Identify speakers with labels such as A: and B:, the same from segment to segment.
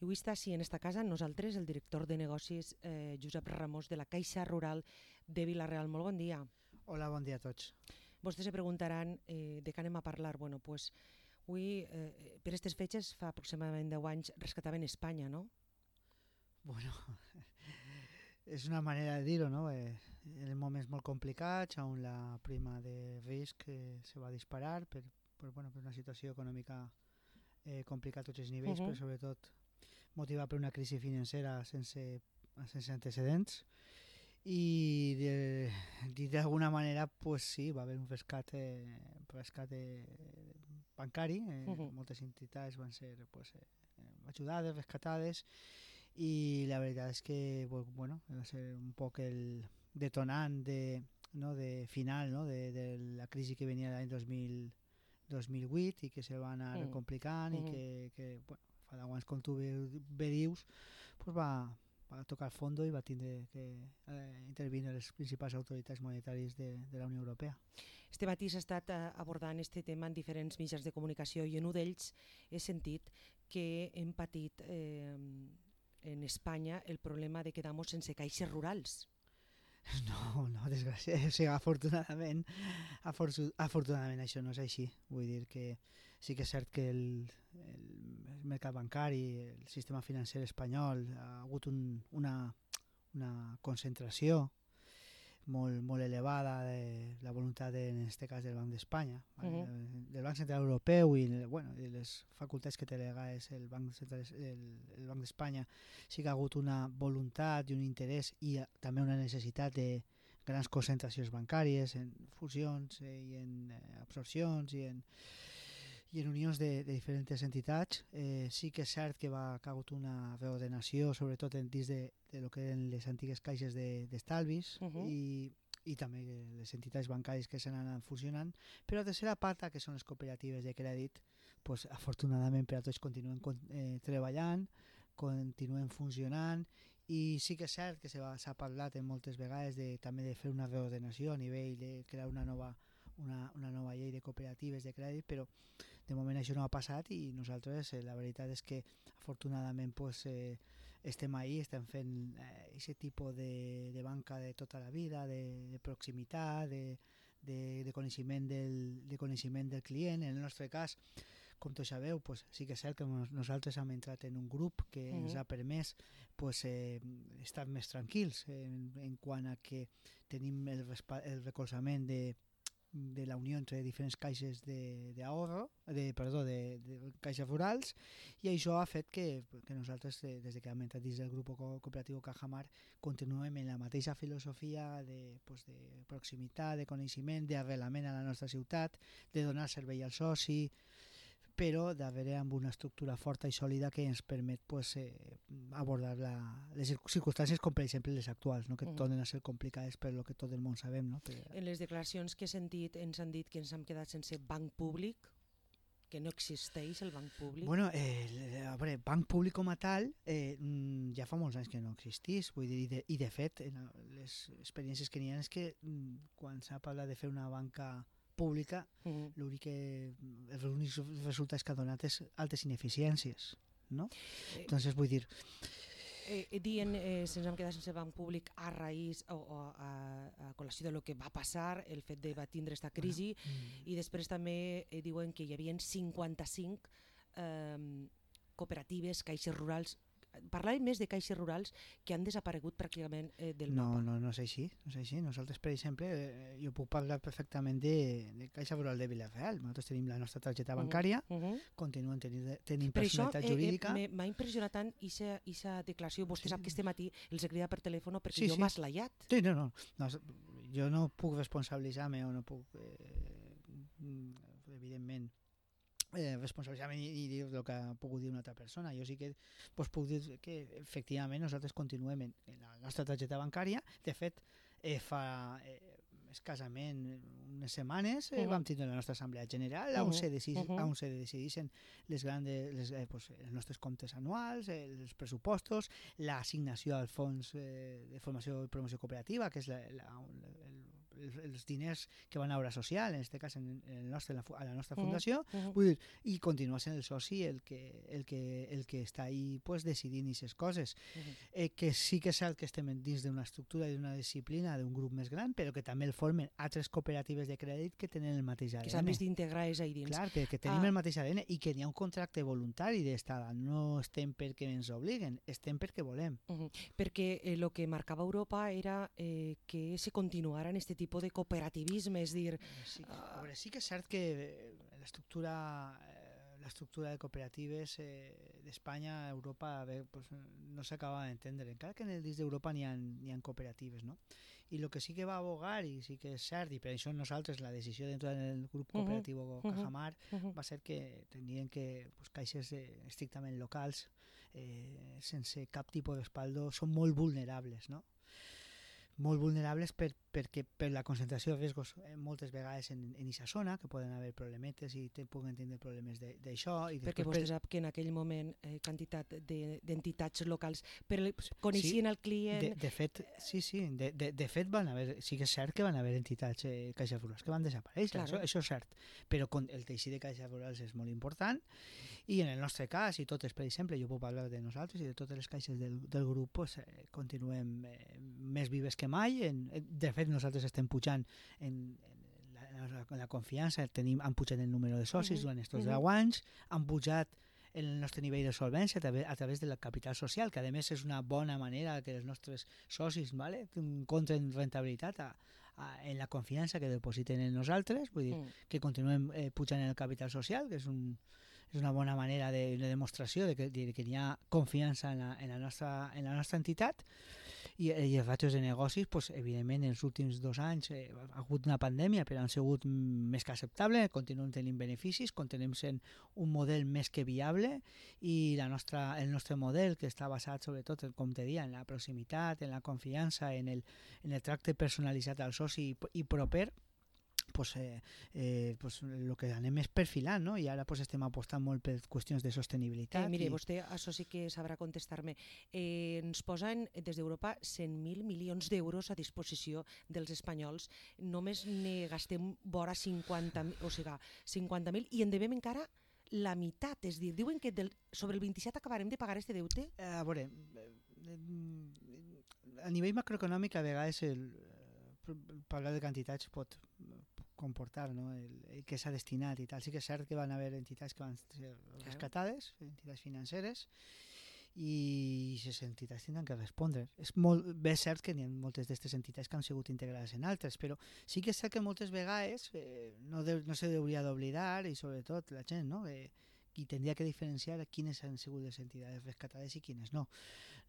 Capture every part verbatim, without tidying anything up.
A: I avui està així en esta casa nosaltres, el director de negocis eh, Josep Ramos de la Caixa Rural de Vila-real. Molt bon dia.
B: Hola, bon dia a tots.
A: Vostès se preguntaran eh, de què anem a parlar. Bueno, pues, avui, eh, per aquestes fetges, fa aproximadament deu anys, rescataven Espanya, no?
B: Bueno, és una manera de dir-ho, no? Eh, en moments molt complicats, on la prima de risc eh, se va disparar per, per, bueno, per una situació econòmica eh, complicada a tots els nivells, uh -huh. però sobretot motivada per una crisi financera sense, sense antecedents. I d'alguna manera pues sí, va haver un rescat, eh, rescat eh, bancari, eh, uh -huh. moltes entitats van ser pues, eh, ajudades, rescatades, i la veritat és que bueno, va ser un poc el detonant de, no, de final, no, de, de la crisi que venia l'any dos mil vuit i que se va anar uh -huh. complicant uh -huh. i que, que bueno, fa deu anys, com tu bé dius, pues va va tocar el fondo i va tindre que eh, intervenir les principals autoritats monetàries de, de la Unió Europea.
A: Este matí s'ha estat abordant este tema en diferents mitjans de comunicació i en un d'ells he sentit que hem patit eh, en Espanya el problema de quedar-nos sense caixes rurals.
B: No, no, desgràcia, o sigui, afortunadament, afortunadament això no és així. Vull dir que sí que és cert que el, el mercat bancari, el sistema financer espanyol ha hagut un, una, una concentració molt, molt elevada de la voluntat, de, en aquest cas, del Banc d'Espanya, uh -huh. del Banc Central Europeu i, bueno, i les facultats que té legades el Banc Central, el, el Banc d'Espanya. Sí que ha hagut una voluntat i un interès i també una necessitat de grans concentracions bancàries en fusions eh, i en eh, absorcions i en i en unions de, de diferents entitats. Eh, sí que és cert que va que ha hagut una reordenació, sobretot en dins de, de lo que eren les antigues caixes d'estalvis de, uh -huh. i, i també les entitats bancàries que s'han anat fusionant, però la tercera pata, que són les cooperatives de crèdit, pues, afortunadament per a tots continuen eh, treballant, continuen funcionant, i sí que és cert que s'ha parlat en moltes vegades de, també de fer una reordenació a nivell de crear una nova Una, una nova llei de cooperatives de crèdit, però de moment això no ha passat i nosaltres eh, la veritat és que afortunadament pues, eh, estem ahí, estem fent aquest eh, tipus de, de banca de tota la vida, de, de proximitat, de, de, de, coneixement del, de coneixement del client. En el nostre cas, com tots sabeu, pues, sí que és cert que nosaltres hem entrat en un grup que uh-huh. ens ha permès pues, eh, estar més tranquils en, en quant a que tenim el, el recolzament de de la unió entre diferents caixes d'ahorro, de, de, perdó, de, de caixes rurals, i això ha fet que, que nosaltres, des que hem entrat dins del grup cooperatiu Cajamar, continuem en la mateixa filosofia de, pues, de proximitat, de coneixement, d'arrelament a la nostra ciutat, de donar servei al soci, però darrere amb una estructura forta i sòlida que ens permet pues, eh, abordar la, les circumstàncies com per exemple les actuals, no? que uh-huh. tornen a ser complicades per lo que tot el món sabem. No? Per...
A: En les declaracions que he sentit ens han dit que ens hem quedat sense banc públic, que no existeix el banc públic.
B: Bueno, eh, a veure, banc públic com a tal eh, ja fa molts anys que no existís, vull dir, i de, i de fet les experiències que n'hi ha és que quan s'ha parlat de fer una banca pública, uh-huh. l'únic que els únics resultats que ha donat és altes ineficiències, no? Eh, Entonces, vull dir...
A: Eh, dient eh, se'ns hem quedat sense banc públic a raïs o, o a, a col·lació de lo que va passar, el fet de va tindre esta crisi, bueno, mm. i després també eh, diuen que hi havia cinquanta-cinc eh, cooperatives, caixes rurals. Parlàvem més de caixes rurals que han desaparegut pràcticament eh, del
B: no,
A: mapa.
B: No, no és així, no és així. Nosaltres, per exemple, eh, jo puc parlar perfectament de, de Caixa Rural de Vila-real. Nosaltres tenim la nostra targeta bancària, uh -huh. continuen tenint, tenint personalitat
A: això,
B: jurídica.
A: Eh, m'ha impressionat tant aquesta declaració. Vostè sí. sap que este matí els he cridat per telèfon perquè
B: sí,
A: jo
B: sí.
A: m'ha eslayat.
B: Sí, no, no, no. Jo no puc responsabilitzar-me o no puc, eh, evidentment, Eh, responsabilitzar-me i dir el que ha pogut dir una altra persona. Jo sí que pues, puc dir que efectivament nosaltres continuem en, en la nostra targeta bancària. De fet, eh, fa eh, escassament unes setmanes eh, uh-huh. vam tindre la nostra assemblea general uh-huh. on se decidissin se decidissin les grandes, les, eh, pues, els nostres comptes anuals, eh, els pressupostos, l'assignació al fons eh, de formació i promoció cooperativa, que és la, la, el, els diners que van a obra social, en aquest cas en el nostre, a la nostra fundació,
A: uh -huh.
B: vull dir, i continua sent el soci el que, el que, el que està ahí pues, decidint aquestes coses. Uh -huh. eh, que sí que és cert que estem dins d'una estructura i d'una disciplina d'un grup més gran, però que també el formen altres cooperatives de crèdit que tenen el mateix A D N.
A: Que s'han vist d'integrar és ahí dins.
B: Clar, que, que tenim
A: ah.
B: el mateix A D N i que n'hi ha un contracte voluntari d'estada. No estem perquè ens obliguen, estem perquè volem.
A: Uh -huh. Perquè el eh, que marcava Europa era eh, que se continuara en aquest tipus de cooperativisme, és dir...
B: Sí, a veure, sí que és cert que l'estructura eh, l'estructura de cooperatives eh, d'Espanya a Europa bé, pues, no s'acaba d'entendre, encara que en el dins d'Europa n'hi ha, n'hi ha cooperatives, no? I el que sí que va abogar, i sí que és cert, i per això nosaltres la decisió d'entrar en el grup cooperatiu uh -huh. Cajamar uh -huh. va ser que tenien que pues, caixes eh, estrictament locals eh, sense cap tipus d'espaldo són molt vulnerables, no? Molt vulnerables per, perquè per la concentració de riscos eh, moltes vegades en aquesta zona, que poden haver problemetes i te, puguen tindre problemes d'això.
A: Perquè vostè per... sap que en aquell moment eh, quantitat d'entitats de, locals per, coneixien
B: sí,
A: el client...
B: De, de fet, sí, sí, de, de, de fet van haver, sí que és cert que van haver entitats eh, caixes rurals que van desaparèixer, claro. això, això és cert, però con, el teixit de caixes rurals és molt important i en el nostre cas, i totes, per exemple, jo puc parlar de nosaltres i de totes les caixes del, del grup, pues, eh, continuem eh, més vives que mai. En, de fet, nosaltres estem pujant en, en, la, en, la, en la confiança, tenim, han pujat el número de socis uh -huh. durant aquests deu uh -huh. anys, han pujat el nostre nivell de solvència a través, a través del capital social, que a més és una bona manera que els nostres socis vale, encontren rentabilitat a, a, en la confiança que depositen en nosaltres, vull dir, uh -huh. que continuem eh, pujant en el capital social, que és un és una bona manera de, de demostració de que, de que hi ha confiança en la, en la, nostra, en la nostra entitat. I, i els ràtios de negocis, pues, evidentment, en els últims dos anys eh, ha hagut una pandèmia, però han sigut més que acceptable, continuem tenint beneficis, continuem sent un model més que viable i la nostra, el nostre model, que està basat sobretot, com te deia, en la proximitat, en la confiança, en el, en el tracte personalitzat al soci i, i proper, pues, eh, eh, pues el que anem és perfilant, no? I ara pues, estem apostant molt per qüestions de sostenibilitat.
A: Eh, mire,
B: i...
A: vostè això sí que sabrà contestar-me. Eh, ens posen des d'Europa cent mil milions d'euros a disposició dels espanyols. Només ne gastem vora cinquanta mil, o sigui, cinquanta mil i en devem encara la meitat. És dir, diuen que del, sobre el vint-i-set acabarem de pagar este deute?
B: Eh, a veure, a nivell macroeconòmic a vegades el, parlar de quantitats pot comportar, no? el, el que s'ha destinat i tal. Sí que és cert que van haver entitats que van ser rescatades, entitats financeres, i aquestes entitats tindran que respondre. És molt bé cert que hi ha moltes d'aquestes entitats que han sigut integrades en altres, però sí que és cert que moltes vegades eh, no, de, no se hauria d'oblidar, i sobretot la gent, no? Eh, qui tindria que diferenciar quines han sigut les entitats rescatades i quines no.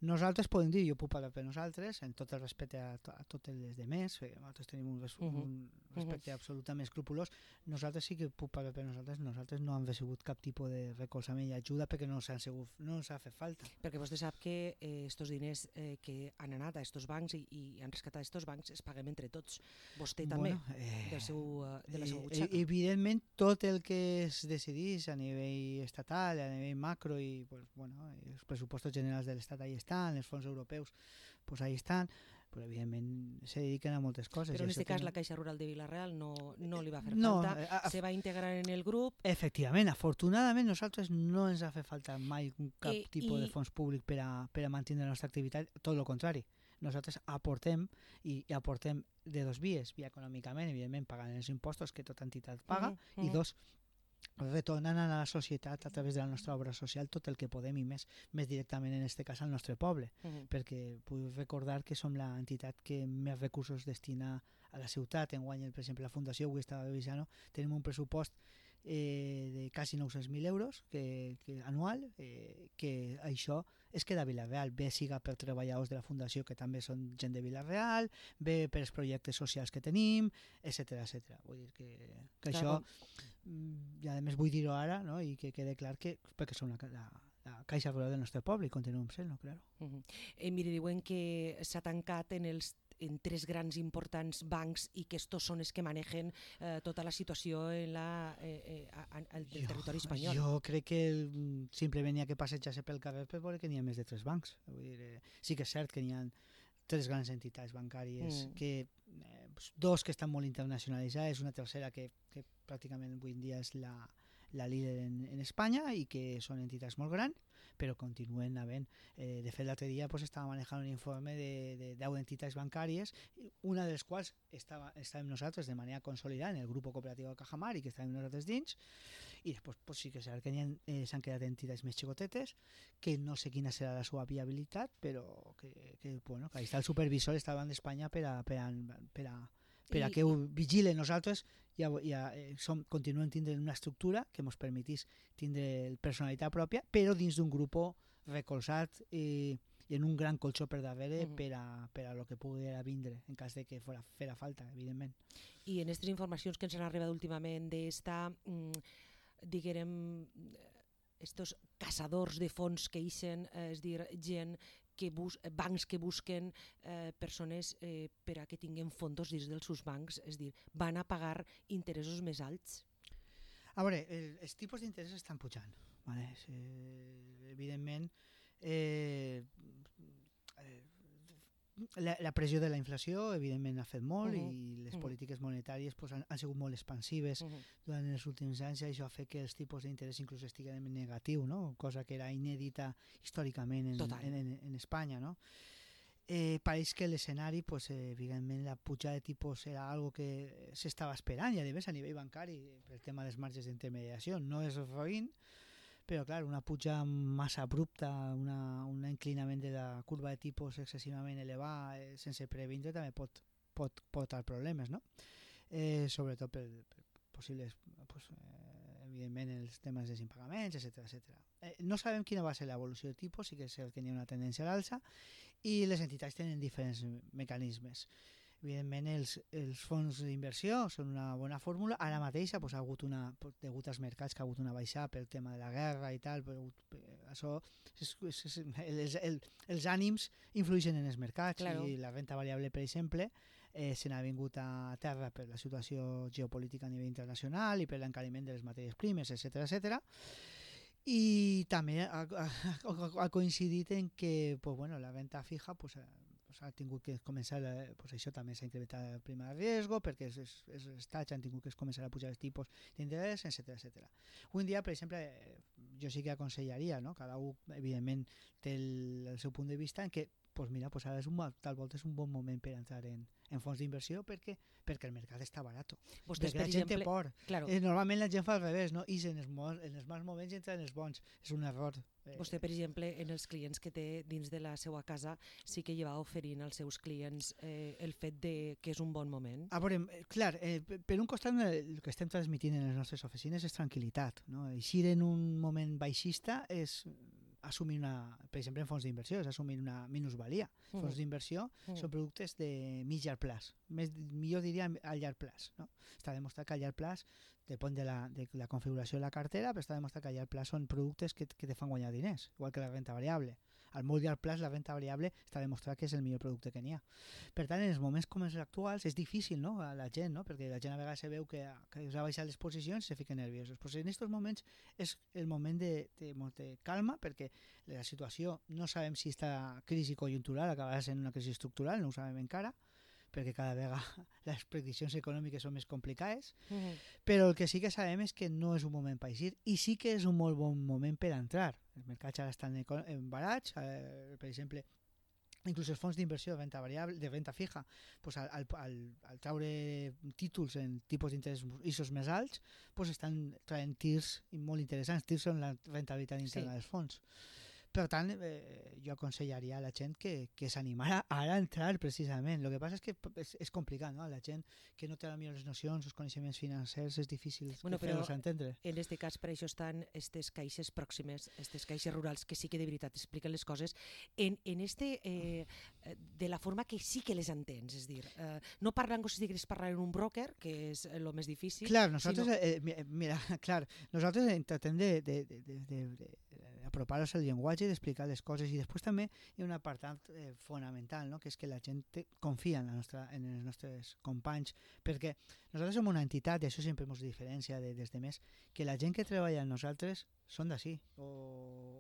B: Nosaltres podem dir, jo puc parlar per nosaltres, en tot el respecte a, to a totes les demés, nosaltres tenim un, res uh -huh. un respecte uh -huh. absolutament escrupulós, nosaltres sí que puc parlar per nosaltres, nosaltres no hem recibut cap tipus de recolzament i ajuda perquè no s'ha no ens ha fet falta.
A: Perquè vostè sap que estos eh, diners eh, que han anat a estos bancs i, i han rescatat estos bancs es paguem entre tots. Vostè també, bueno, eh, del seu, de la seva butxaca.
B: Eh, evidentment, tot el que es decidís a nivell estatal, a nivell macro i pues, bueno, els pressupostos generals de l'Estat ahí estan, els fons europeus pues ahí estan, però evidentment se dediquen a moltes coses.
A: Però en aquest cas no... la Caixa Rural de Vila-real no, no li va fer
B: no,
A: falta, a, a, se va integrar en el grup.
B: Efectivament, afortunadament nosaltres no ens ha fet falta mai cap
A: I,
B: tipus
A: i...
B: de fons públic per a, per a mantenir la nostra activitat, tot el contrari. Nosaltres aportem i, i aportem de dos vies, via econòmicament, evidentment pagant els impostos que tota entitat paga, uh -huh, uh -huh. i dos, retornant a la societat a través de la nostra obra social tot el que podem i més, més directament en aquest cas al nostre poble, uh -huh. perquè vull recordar que som l'entitat que més recursos destina a la ciutat. Enguany, per exemple, la Fundació avui estava revisant, tenim un pressupost eh, de quasi nou-cents mil euros que, que anual, eh, que això és que de Vila-real, bé siga per treballadors de la Fundació que també són gent de Vila-real, bé per els projectes socials que tenim, etcètera, etcètera. Vull dir que, que això, i a més vull dir-ho ara, no? I que quede clar que perquè som la, la, la Caixa Rural del nostre poble i continuem sent-ho, claro.
A: Uh -huh. eh, mire, diuen que s'ha tancat en els en tres grans importants bancs i que estos són els que manegen eh, tota la situació en la, eh, eh, en el jo, territori espanyol.
B: Jo crec que simplement hi ha que passejar-se pel carrer per veure que n'hi ha més de tres bancs. Vull dir, eh, sí que és cert que n'hi ha tres grans entitats bancàries,
A: Mm.
B: que eh, dos que estan molt internacionalitzades, una tercera que, que pràcticament avui en dia és la, la líder en, en Espanya i que són entitats molt grans, però continuen havent. Eh, de fet, l'altre dia pues, estava manejant un informe de, de deu entitats bancàries, una de les quals estava, estàvem nosaltres de manera consolidada en el grup cooperatiu de Cajamar i que estàvem nosaltres dins, i després pues, sí que s'han eh, quedat entitats més xicotetes, que no sé quina serà la seva viabilitat, però que, que, bueno, que ahí està el supervisor, està davant d'Espanya per a, per a, per a, per a
A: I-
B: que ho vigilen. Nosaltres ja, ja eh, som, continuem tindre una estructura que ens permetís tindre personalitat pròpia, però dins d'un grup recolzat i, i en un gran colxó per darrere
A: Mhm.
B: per a, per a lo que pugui vindre en cas de que fora, fera falta, evidentment.
A: I en aquestes informacions que ens han arribat últimament d'esta, mm, diguem, estos caçadors de fons que ixen, eh, és dir, gent que bus bancs que busquen eh, persones eh, per a que tinguin fondos dins dels seus bancs, és dir, van a pagar interessos més alts.
B: A veure, el, els tipus d'interès estan pujant, vale? Eh, evidentment eh, eh, la, la pressió de la inflació evidentment ha fet molt,
A: Uh-huh.
B: i les
A: Uh-huh.
B: polítiques monetàries pues, han, han sigut molt expansives
A: Uh -huh.
B: durant els últims anys, i això ha fet que els tipus d'interès inclús estiguen en negatiu, no? Cosa que era inèdita històricament en, en, en, en Espanya, no? Eh, pareix que l'escenari, pues, eh, evidentment la pujada de tipus era algo que s'estava esperant, i a més a nivell bancari pel tema dels marges d'intermediació no és roïn, però clar, una puja massa abrupta, una, un inclinament de la curva de tipus excessivament elevat eh, sense previndre també pot, pot portar problemes, no? Eh, sobretot per, per possibles pues, eh, evidentment els temes dels impagaments, etcètera etcètera. Eh, no sabem quina va ser l'evolució de tipus, sí que és cert que hi ha una tendència a l'alça, i les entitats tenen diferents mecanismes. Evidentment els, els fons d'inversió són una bona fórmula. Ara mateix pues, ha hagut una, degut als mercats, que ha hagut una baixada pel tema de la guerra i tal, però això és, és, és, els, el, els ànims influeixen en els mercats, claro. I la renta variable, per exemple, eh, se n'ha vingut a terra per la situació geopolítica a nivell internacional i per l'encariment de les matèries primes, etcètera etcètera. I també ha, ha, ha coincidit en que pues, bueno, la renta fija pues, ha tingut que començar, pues això també s'ha incrementat el prima de riesgo, perquè els, els estats han tingut que començar a pujar els tipus d'interès, etcètera etcètera. Avui en dia, per exemple, jo sí que aconsellaria, no? Cada un, evidentment, té el, el seu punt de vista en què, pues mira, pues ara és un, tal volta és un bon moment per entrar en, en fons d'inversió, perquè perquè el mercat està barat.
A: Vostès,
B: perquè
A: per
B: la gent
A: exemple,
B: té por.
A: Claro.
B: Eh, normalment la gent fa al revés, no? I en els, en els mals moments entra en els bons. És un error.
A: Eh. Vostè, per exemple, en els clients que té dins de la seva casa, sí que lleva oferint als seus clients eh, el fet de que és un bon moment?
B: A veure, clar, eh, per un costat el que estem transmitint en les nostres oficines és tranquil·litat, no? Eixir en un moment baixista és assumir una, per exemple en fons d'inversió, és assumir una minusvalia. Uh -huh. Fons d'inversió uh -huh. són productes de mig llarg plaç, més, millor diria a llarg plaç, no? Està demostrat que a llarg plaç, depèn de la, de la configuració de la cartera, però està demostrat que a llarg plaç són productes que, que te fan guanyar diners, igual que la renta variable. Al molt llarg plaç la renta variable està demostrat que és el millor producte que n'hi ha. Per tant, en els moments com els actuals és difícil, no? A la gent, no? Perquè la gent a vegades se veu que, que s'ha baixat les posicions i se fica nerviosos. Però en aquests moments és el moment de, de, de calma, perquè la situació no sabem si esta crisi conjuntural acabarà sent una crisi estructural, no ho sabem encara, perquè cada vegada les prediccions econòmiques són més complicades, uh -huh. però el que sí que sabem és que no és un moment per eixir, i sí que és un molt bon moment per entrar. Els mercats ara estan en barats, eh, per exemple, inclús els fons d'inversió de renta variable, de renta fija, pues al, al, al, al traure títols en tipus d'interès més alts, pues estan traient tirs molt interessants. Tirs són la rentabilitat interna sí. dels fons. Per tant, eh, jo aconsellaria a la gent que, que s'animara ara a entrar precisament. El que passa és que és, és complicat, no? La gent que no té a millor les nocions, els coneixements financers, és difícil bueno, fer-los entendre.
A: En aquest cas, per això estan aquestes caixes pròximes, aquestes caixes rurals, que sí que de veritat expliquen les coses en, en este, eh, de la forma que sí que les entens. És dir, eh, no parlant com si digués parlar en un broker, que és el més difícil.
B: Clar, nosaltres, sinó... eh, mira, clar, nosaltres intentem de, de, de, de, de, de apropar-nos al llenguatge i d'explicar les coses, i després també hi ha un apartat eh, fonamental, no? Que és que la gent te, confia en, la nostra, en els nostres companys, perquè nosaltres som una entitat, i això sempre ens diferencia de, des de més, que la gent que treballa amb nosaltres són d'ací o,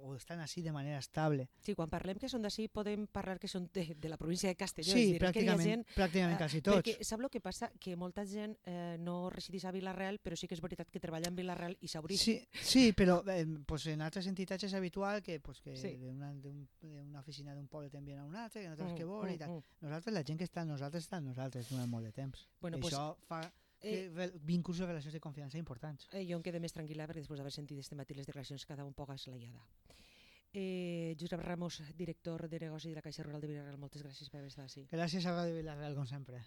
B: o estan així de manera estable.
A: Sí, quan parlem que són d'ací podem parlar que són de, de la província de Castelló.
B: Sí,
A: és dir,
B: pràcticament,
A: que gent,
B: pràcticament
A: eh,
B: quasi tots.
A: Perquè sap el que passa? Que molta gent eh, no resideix a Vila-real, però sí que és veritat que treballa en Vila-real i s'hauria...
B: Sí, sí, però eh, pues en altres entitats és habitual que, pues, que
A: Sí.
B: d'una un, una oficina d'un poble t'envien a una altra, que no saps
A: Mm,
B: què vol i
A: mm,
B: tal.
A: mm.
B: Nosaltres, la gent que està amb nosaltres, està amb nosaltres durant molt de temps.
A: Bueno,
B: I
A: pues,
B: això fa que,
A: eh,
B: vínculs i relacions de confiança importants.
A: Eh, jo em quedé més tranquil·la perquè després d'haver sentit este matí les declaracions cada un poc eslaiada. Eh, Josep Ramos, director de negoci de la Caixa Rural de Vila-real, moltes gràcies per haver estat així.
B: Gràcies a Ràdio Vila-real, com sempre.